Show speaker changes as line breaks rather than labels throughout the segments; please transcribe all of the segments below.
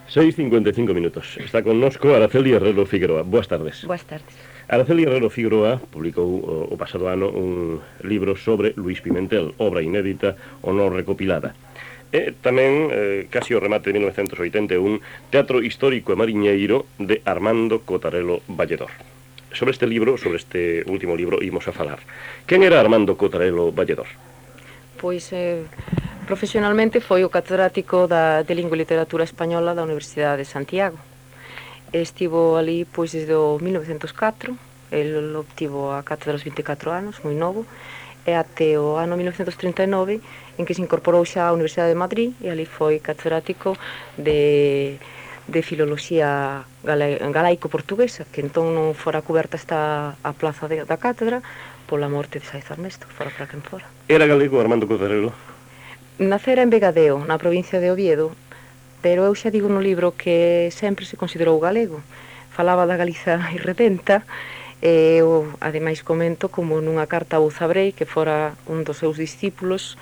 6:55. Está connosco Araceli Herrero Figueroa. Boas tardes.
Boas tardes.
Araceli Herrero Figueroa publicou o pasado ano un libro sobre Luís Pimentel, obra inédita ou non recopilada. E tamén, casi o remate de 1981, Teatro Histórico e Mariñeiro de Armando Cotarelo Valledor. Sobre este libro, sobre este último libro, imos a falar. Quen era Armando Cotarelo Valledor?
Pois, profesionalmente foi o catedrático de Lingua e Literatura Española da Universidade de Santiago. Estivo ali pois desde o 1904, el obtivo a cátedra aos 24 anos, moi novo, e até o ano 1939, en que se incorporou xa á Universidade de Madrid, e ali foi catedrático de filoloxía galaico-portuguesa, que entón non fora coberta esta a plaza da cátedra pola morte de Saiz Armesto, fora para quen fora.
Era galego Armando Cotarelo?
Nacera en Vegadeo, na provincia de Oviedo, pero eu xa digo no libro que sempre se considerou galego. Falaba da Galiza irredenta, e eu ademais comento como nunha carta a Bouzabrei, que fora un dos seus discípulos,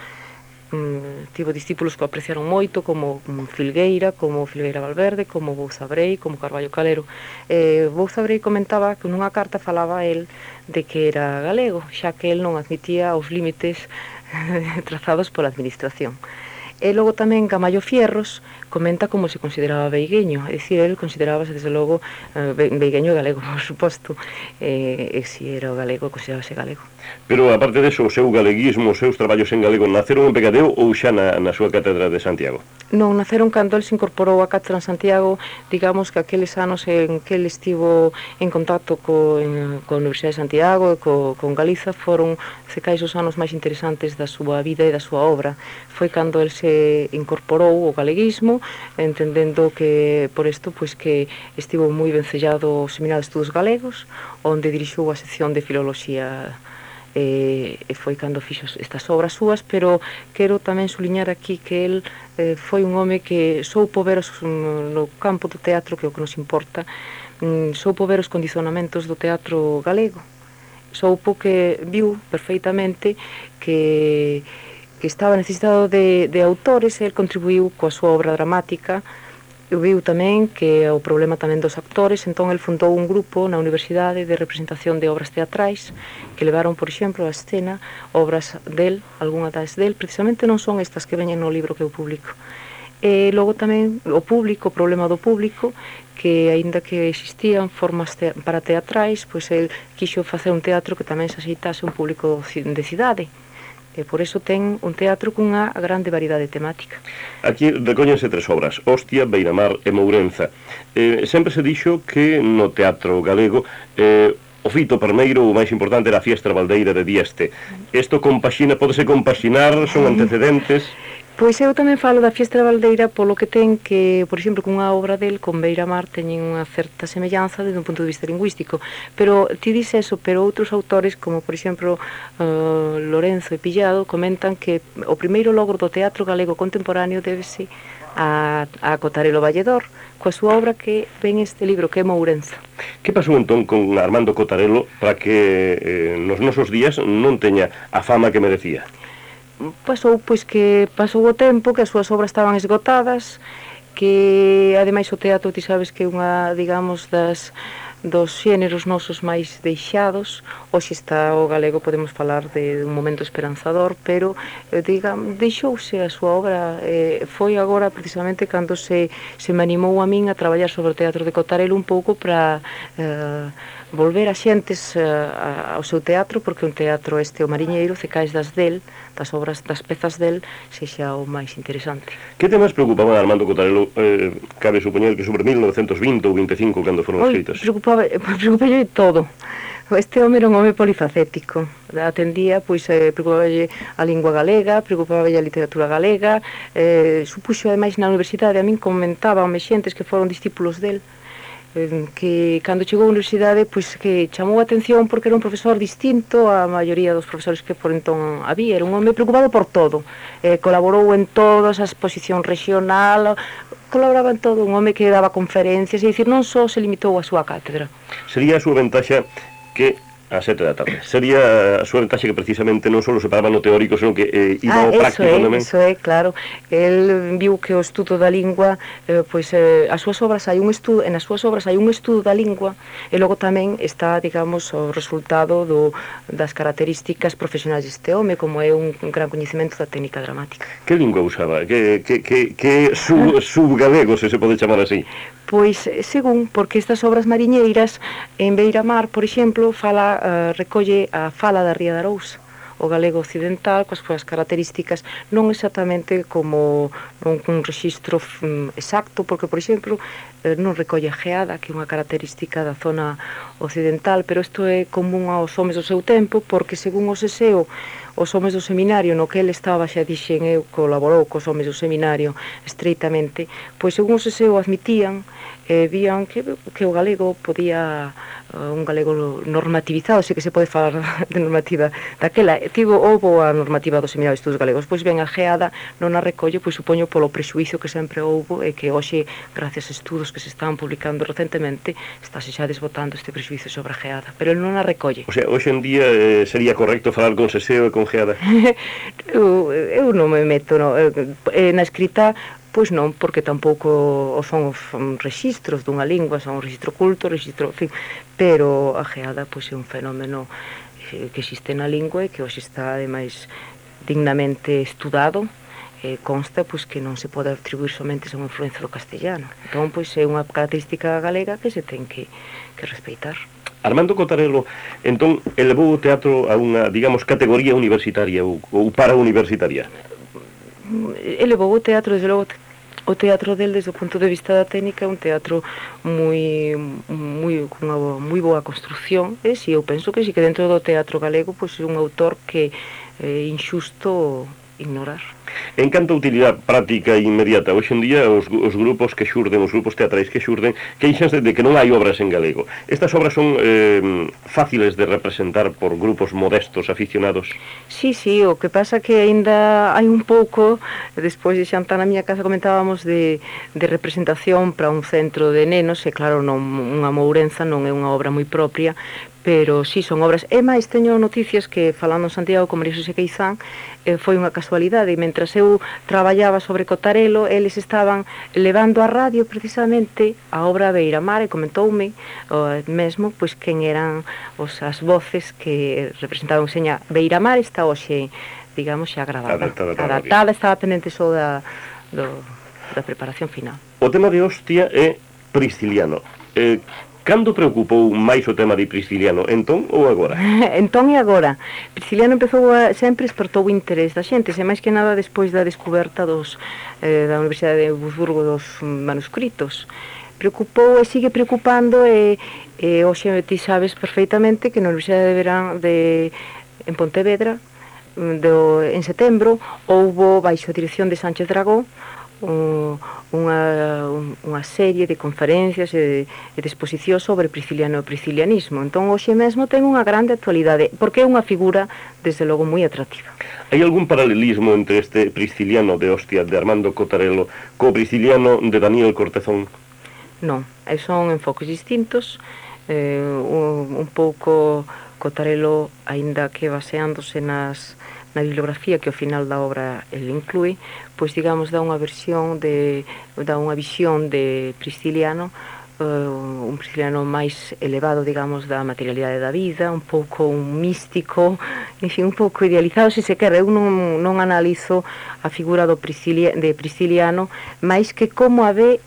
tivo discípulos que o apreciaron moito, como Filgueira Valverde, como Bouzabrei, como Carballo Calero. Bouzabrei comentaba que nunha carta falaba a él de que era galego, xa que él non admitía os límites trazados pola administración. E logo tamén Camallo Fierros comenta como se consideraba veigueño, é dicir, el considerábase desde logo veigueño galego, por suposto, e se era o galego, considerábase galego.
Pero, aparte deso, o seu galeguismo, os seus traballos en galego, naceron en Vegadeo ou xa na súa cátedra de Santiago?
Non, naceron cando el se incorporou á cátedra en Santiago, digamos que aqueles anos en que el estivo en contacto coa Universidade de Santiago e con Galiza foron, se cais, os anos máis interesantes da súa vida e da súa obra. Foi cando el se incorporou ao galeguismo, entendendo que, por isto, pois que estivo moi vencellado ao Seminario de Estudos Galegos, onde dirixiu a sección de filoloxía, e foi cando fixo estas obras súas, pero quero tamén suliñar aquí que el foi un home que soupo ver no campo do teatro, que é o que nos importa, soupo ver os condicionamentos do teatro galego, soupo que viu perfeitamente que estaba necesitado de autores, e el contribuiu coa súa obra dramática. Viu tamén que o problema tamén dos actores, entón el fundou un grupo na universidade de representación de obras teatrais que levaron, por exemplo, a escena obras del, algunha das del, precisamente non son estas que veñen no libro que eu publico. E logo tamén o público, o problema do público, que aínda que existían formas para teatrais, pois el quixo facer un teatro que tamén se aceitase un público de cidade. E por iso ten un teatro cunha grande variedade temática.
Aquí recóñense tres obras: Hostia, Beiramar e Mourenza. Sempre se dixo que no teatro galego o fito primeiro, o máis importante, era a Fiestra Baldeira de Dieste. Isto pódese compaxinar, son antecedentes?
Pois eu tamén falo da Fiestra Baldeira polo que ten que, por exemplo, cunha obra del con Beiramar teñen unha certa semellanza desde un punto de vista lingüístico, pero ti dis eso, pero outros autores, como por exemplo Lorenzo e Pillado, comentan que o primeiro logro do teatro galego contemporáneo débese a Cotarelo Valledor, coa súa obra que ven este libro, que é Mourenza.
Que pasou entón con Armando Cotarelo para que nos nosos días non teña a fama que merecía?
Pasou o tempo, que as súas obras estaban esgotadas, que ademais o teatro, ti sabes que é unha, digamos, dos xéneros nosos máis deixados. Hoxe está o galego, podemos falar de un momento esperanzador, pero deixouse a súa obra. Foi agora precisamente cando se me animou a min a traballar sobre o teatro de Cotarelo un pouco para volver a xentes ao seu teatro, porque un teatro o Mariñeiro, se caes das obras, das pezas del, sexa o máis interesante.
Que temas preocupaban a Armando Cotarelo? Cabe supoñer que sobre 1920 ou 25, cando foron escritos?
Preocupalle todo. Este home era un home polifacético. Atendía, preocupalle a lingua galega, preocupalle a literatura galega, supuxo ademais na universidade, a min comentaban xentes que foron discípulos del, que cando chegou á universidade que chamou a atención porque era un profesor distinto á maioría dos profesores que por entón había. Era un home preocupado por todo, colaborou en todas as exposición regional, colaboraba en todo, un home que daba conferencias, é dicir, non só se limitou á súa cátedra.
Sería a súa ventaxa que Ás 7 da tarde. Sería a súa ventaxe que precisamente non só se paraba no teórico, senón que iba ao práctico tamén.
Eso é, claro. El viu que o estudo da lingua, as súas obras hai un estudo, nas súas obras hai un estudo da lingua, e logo tamén está, digamos, o resultado das características profesionais deste home, como é un gran coñecemento da técnica dramática.
Que lingua usaba? Que subgalego, se pode chamar así?
Pois, según, porque estas obras mariñeiras, en Beiramar, por exemplo, recolle a fala da Ría de Arousa, o galego occidental, coas súas características, non exactamente como un rexistro exacto, porque, por exemplo, non recolle a geada, que é unha característica da zona occidental, pero isto é común aos homes do seu tempo, porque, según o Seseo, os homes do seminario no que ele estaba, xa dixen eu, colaborou cos homes do seminario estreitamente, pois, según o Seseo, admitían vían que o galego podía, un galego normativizado, sei que se pode falar de normativa daquela, houbo a normativa do Seminario de Estudos Galegos, pois ben a geada non a recolle, pois supoño polo prexuizo que sempre houbo e que hoxe, gracias a estudos que se están publicando recentemente, estáse xa desbotando este prexuizo sobre a geada, pero ele non a recolle.
O sea, hoxe en día sería correcto falar con Seseo e con geada?
eu non me meto, na escrita. Pois non, porque tampouco son os rexistros dunha lingua, son un rexistro culto, en fin, pero a geada pois é un fenómeno que existe na lingua e que hoxe está, ademais, dignamente estudado, consta pois que non se pode atribuir somente a unha influencia do castellano. Entón, pois é unha característica galega que se ten que respeitar.
Armando Cotarelo, entón, elevou o teatro a unha, digamos, categoría universitaria ou para-universitaria?
Elevou o teatro, desde logo, o teatro del, desde o punto de vista da técnica, é un teatro con unha moi boa construcción, e si, eu penso que si, que dentro do teatro galego, pois é un autor que é injusto ignorar.
En canto a utilidade práctica e inmediata, hoxe en día os grupos que xurden, os grupos teatrais que xurden, queixanse de que non hai obras en galego. Estas obras son fáciles de representar por grupos modestos, aficionados?
Sí, o que pasa que aínda hai un pouco, despois de xantar na miña casa comentábamos de representación para un centro de nenos, e claro, non, unha Mourenza non é unha obra moi propia, pero sí, son obras. E máis, teño noticias que, falando en Santiago con María Xosé Queizán, foi unha casualidade. Mentras eu traballaba sobre Cotarelo, eles estaban levando a radio precisamente a obra Beiramar, e comentoume mesmo pois quen eran as voces que representaban. Seña, Beiramar está hoxe, digamos, xa gravada, adaptada, estaba pendente só da preparación final.
O tema de Hostia é Prisciliano. Cando preocupou máis o tema de Prisciliano, entón ou agora?
Entón e agora. Prisciliano sempre despertou o interés da xente, e máis que nada despois da descoberta da Universidade de Wurzburgo dos manuscritos. Preocupou e sigue preocupando, e hoxe ti sabes perfeitamente que na Universidade de Verán en Pontevedra, en setembro, houbo, baixo a dirección de Sánchez Dragó, unha serie de conferencias e de exposicións sobre Prisciliano e priscilianismo. Entón, hoxe mesmo ten unha grande actualidade, porque é unha figura, desde logo, moi atractiva.
Hai algún paralelismo entre este Prisciliano de Hostia de Armando Cotarelo co Prisciliano de Daniel Cortezón?
Non, son enfoques distintos. Un pouco Cotarelo, aínda que baseándose na bibliografía que ao final da obra ele inclúe, pois digamos dá unha visión de Prisciliano, un Prisciliano máis elevado, digamos, da materialidade da vida, un pouco un místico, en fin, un pouco idealizado, se quere. Eu non analizo a figura de Prisciliano máis que como a ve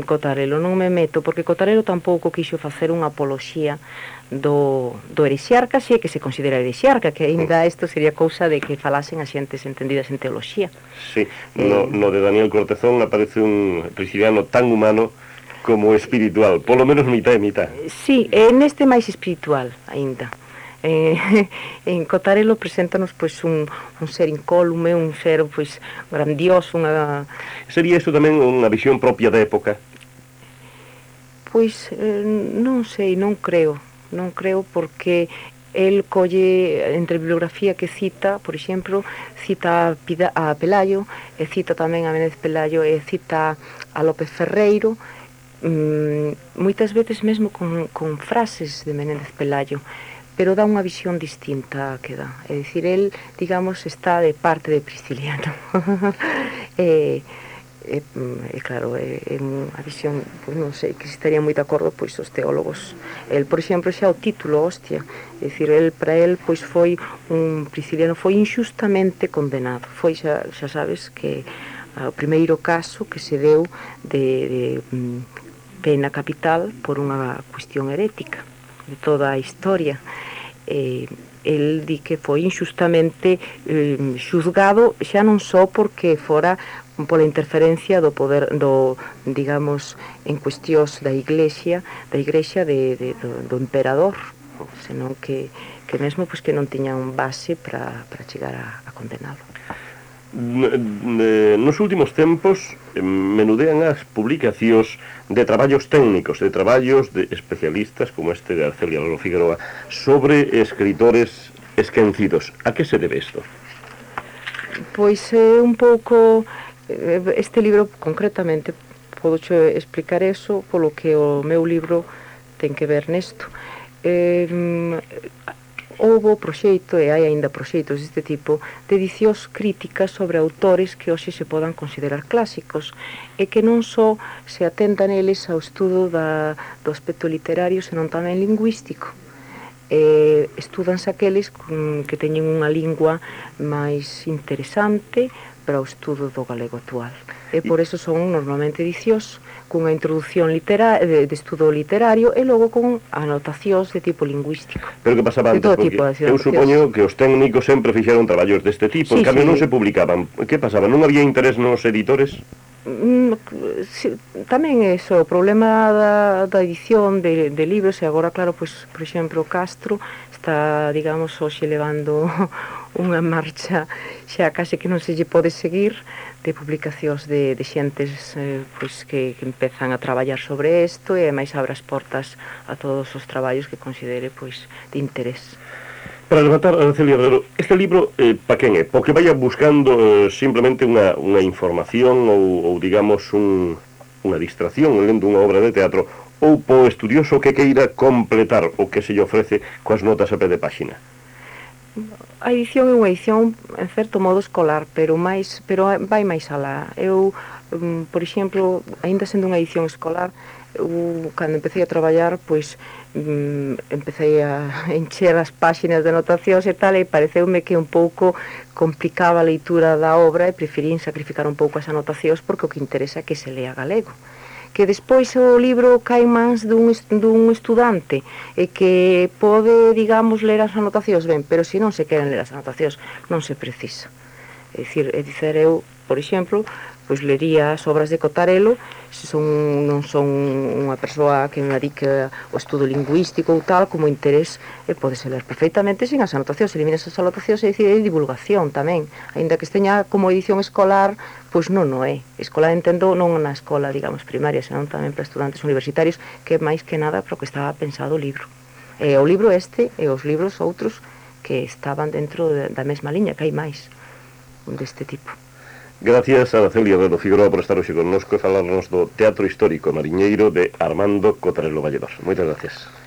Cotarelo, non me meto, porque Cotarelo tampouco quixo facer unha apoloxía do herexiarca, se é que se considera herexiarca, que ainda isto sería cousa de que falasen as xentes entendidas en teoloxía.
Sí, no de Daniel Cortezón aparece un Prisciliano tan humano como espiritual, polo menos mitad e mitad.
Sí, neste máis espiritual aínda. En Cotarelo preséntanos pois un ser incólume, un ser pois grandioso, unha...
Sería isto tamén unha visión propia da época?
Pois non sei, non creo porque el colle entre a bibliografía que cita, por exemplo, cita a Pelayo, e cita tamén a Menéndez Pelayo, e cita a López Ferreiro, moitas veces mesmo con frases de Menéndez Pelayo, pero dá unha visión distinta que dá. É dicir, el, digamos, está de parte de Prisciliano. Claro, é unha visión, pois non sei, que estaría moi de acordo pois os teólogos. El, por exemplo, xa o título, hostia, é dicir, para el pois foi Prisciliano foi injustamente condenado. Foi, xa sabes, que o primeiro caso que se deu de pena capital por unha cuestión herética de toda a historia. El di que foi injustamente xuzgado, xa non só porque fora pola interferencia do poder digamos, en cuestións da iglesia do emperador, senón que mesmo pois, que non tiñan base para chegar a condenalo.
Nos últimos tempos menudean as publicacións de traballos técnicos, de traballos de especialistas como este de Arcelia Lolo Figueroa sobre escritores esquecidos. A que se debe isto?
Pois un pouco este libro concretamente podo explicar eso polo que o meu libro ten que ver nesto. Houbo proxeito, e hai aínda proxeitos deste tipo, de edicións críticas sobre autores que hoxe se podan considerar clásicos e que non só se atenta neles ao estudo do aspecto literario, senón tamén lingüístico. Estúdanse aqueles que teñen unha lingua máis interesante para o estudo do galego actual. E por eso son normalmente edicións cunha introducción de estudo literario e logo con anotacións de tipo lingüístico.
Pero que pasaba antes? Porque eu supoño que os técnicos sempre fixeron traballos deste tipo, en cambio non se publicaban. Que pasaba? Non había interés nos editores?
Tamén é o problema da edición de libros, e agora, claro, pois, por exemplo, Castro está, digamos, hoxe levando unha marcha xa case que non se lle pode seguir de publicacións de xentes pois, que empezan a traballar sobre isto e máis abre as portas a todos os traballos que considere pois, de interés.
Para levantar, Arcelia Herrero, este libro, pa quen é? Porque vaya buscando simplemente unha información ou digamos, unha distracción lendo unha obra de teatro, ou po estudioso que queira completar o que se lle ofrece coas notas a pé de páxina?
A edición é unha edición, en certo modo, escolar, pero vai máis alá. Eu, por exemplo, aínda sendo unha edición escolar, cando empecé a traballar, pois, empecé a encher as páxinas de anotacións e tal, e pareceume que un pouco complicaba a leitura da obra e preferín sacrificar un pouco as anotacións porque o que interesa é que se lea galego. Que despois o libro cae mans dun estudante e que pode, digamos, ler as anotacións ben, pero se non se queren ler as anotacións non se precisa. É dicir, eu, por exemplo, pois lería as obras de Cotarelo, se non son unha persoa que me dedique ao estudo lingüístico ou tal, como interés, podese ler perfectamente sin as anotacións, eliminas as anotacións e dicir, divulgación tamén, aínda que esteña como edición escolar, pois non é. Escolar entendo non na escola, digamos, primaria, senón tamén para estudantes universitarios, que máis que nada para o que estaba pensado o libro. O libro este e os libros outros que estaban dentro da mesma liña, que hai máis deste tipo.
Gracias a Arcelia Herrero Figueroa por estar hoxe connosco e falarnos do Teatro Histórico Mariñeiro de Armando Cotarelo Valledor. Moitas gracias.